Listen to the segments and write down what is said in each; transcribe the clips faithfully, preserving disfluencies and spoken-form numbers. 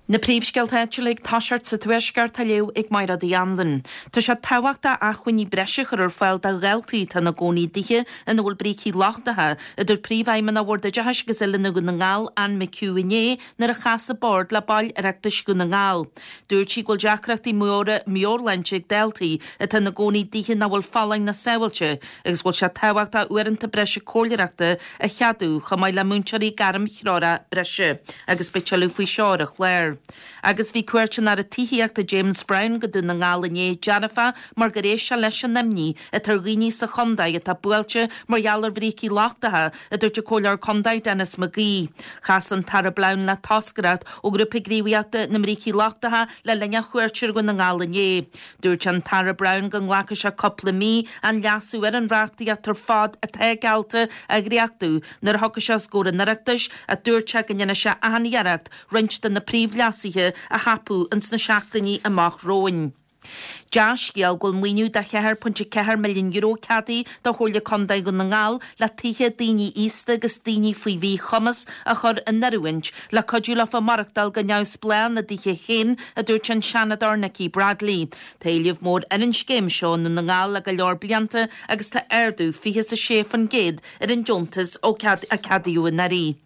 Na príomhscéalta áitiúla ag toiseacht sa Tuaisceart á léamh ag Máire Uí Anluain. Tá sé tábhachtach acmhainní breise a chur ar fáil do dhaltaí atá ina gcónaí i dtithe ina bhfuil brící lochtacha, a dúirt Príomhfheidhmeannach Bhord Oideachais agus Oiliúna Dhún na nGall, Anne McHugh inné nuair a chas an Bord le baill Oireachtais Dhún na nGall. Dúirt sí go bhfuil deacrachtaí móra meabhairshláinte ag daltaí atá ina gcónaí i dtithe nach bhfuil folláin ná sábháilte agus go bhfuil sé tábhachtach uaireanta breise comhairleoireachta a cheadú chomh maith le múinteoirí gairmthreorach breise agus beidh tuilleadh faoi seo ar an chlár. Agus bhí cuairt an Aire Tithíochta James Browne go Dún na nGall inné dearfach mar gur éist sé leis an imní atá ar dhaoine sa chontae atá buailte mar gheall ar bhrící lochtacha, a dúirt an Comhairleoir Contae Denis McGee. Chas an tAire Browne le toscaireacht ó Ghrúpa Gníomhaíochta na mBrící Lochtacha le linn a chuairte ar Dhún na nGall inné. Dúirt an tAire Browne go nglacfaidh sé cúpla mí an leasú ar an reachtaíocht ar fad atá geallta a dhréachtú nuair a thiocfaidh sé os comhair an Oireachtais ach dúirt sé go ndéanfaidh sé achan iarracht roinnt de na príomhleasuithe a thapú ins na seachtainí amach romhainn. Dea-scéal go bhfuil maoiniú de cheathair pointe ceathair milliún euro ceadaithe do Chomhairle Contae Dhún na nGall le tithe daoine aosta agus daoine faoi mhíchumas a chur in oiriúint le cuidiú leofa maireachtáil go neamhspleách ina dtithe féin, a dúirt an Seanadóir Nikki Bradley. Tá éileamh mór ar an scéim seo i nDún na nGall le go leor blianta agus tá ardú fiche is a sé faoin gcéad ar an deontas ó a ceadaíodh anuraidh.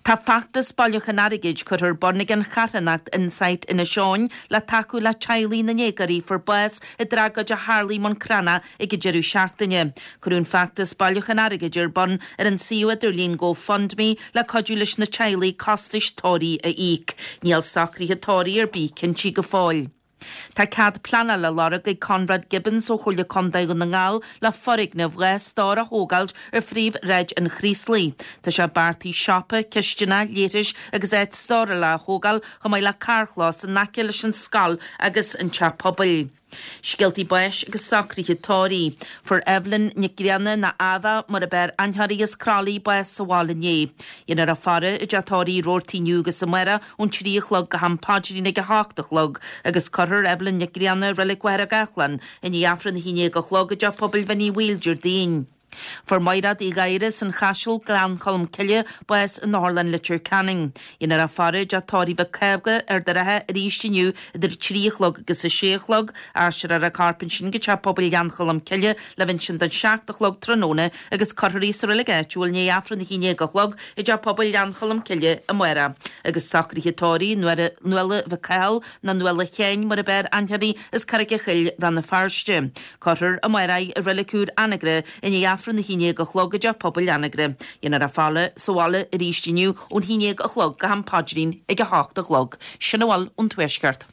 Tá feachtas bailiúchán airgid curtha ar bun ag an charthanacht Insight Inis Eoghain le tacú le teaghlaigh na ndéagóirí a fuair bás i dtragóid a tharla i mBun Cranncha ag an deireadh seachtaine. Cuireadh an feachtas bailiúchán airgid ar bun ar an suíomh idirlín GoFundMe le cuidiú leis na teaghlaigh costais tórraimh a íoc. Níl socruithe tórraimh ar bith cinntí go fóill. Tá cead pleanála á lorg ag Conrad Gibbons ó Chomhairle Contae Dhún na nGall le foirgneamh dhá stór a thógáilt ar phríomhshráid an Chraoslaigh. Tá sé beartaithe siopa, cistineach, leithris agus áit stórála a thógáil chomh maith le carrchlós in aice leis an scoil agus an teach pobail. Scéaltaí báis agus socruithe tórraimh. Fuair Evelyn Nic Grianna nó Ava mar ab fhearr aithne uirthi as Croithlí bás sa bhaile inné. Dhéanfar a faire i dteach tórraimh Roarty inniu agus amárach ón trí a chlog go ham paidrín ag a hocht a chlog agus cuirfear Evelyn Nic Grianna i Reilig Mhachaire Gathlán i ndiaidh Aifreann a haon déag a chlog i dteach pobail Bhinn Uí Bhaoill Déardaoin. Fuair Maighread Uí Ghadhra as an Chaiseal, Gleann Cholm Cille, bás in Otharlann Leitir Ceanainn. Dhéanfar a faire i dteach tórraimh Mhic Cába, Ard an Rátha arís inniu idir a trí a chlog agus a sé a chlog. Aistreofar a corp ansin go teach pobail Ghleann Cholm Cille le bheith ansin don seacht a chlog tráthnóna agus cuirfear í sa reilig áitiúil i ndiaidh Aifreann a haon déag a chlog i dteach pobail Ghleann Cholm Cille amárach. Agus socruithe tórraimh Nuala Mhic Cathal nó Nuala Sheáin mar ab fhearr aithne uirthi as Carraig a' Choill, Rann na Feirste. Cuirfear amárach í i reilig úr Anagaire i ndiaidh Aifreann a haon déag a chlog i dteach pobail Anagaire. Dhéanfar a faire sa bhaile arís inniu ón haon déag a chlog go ham paidrín ag a hocht a chlog. Sin a bhfuil ón Tuaisceart.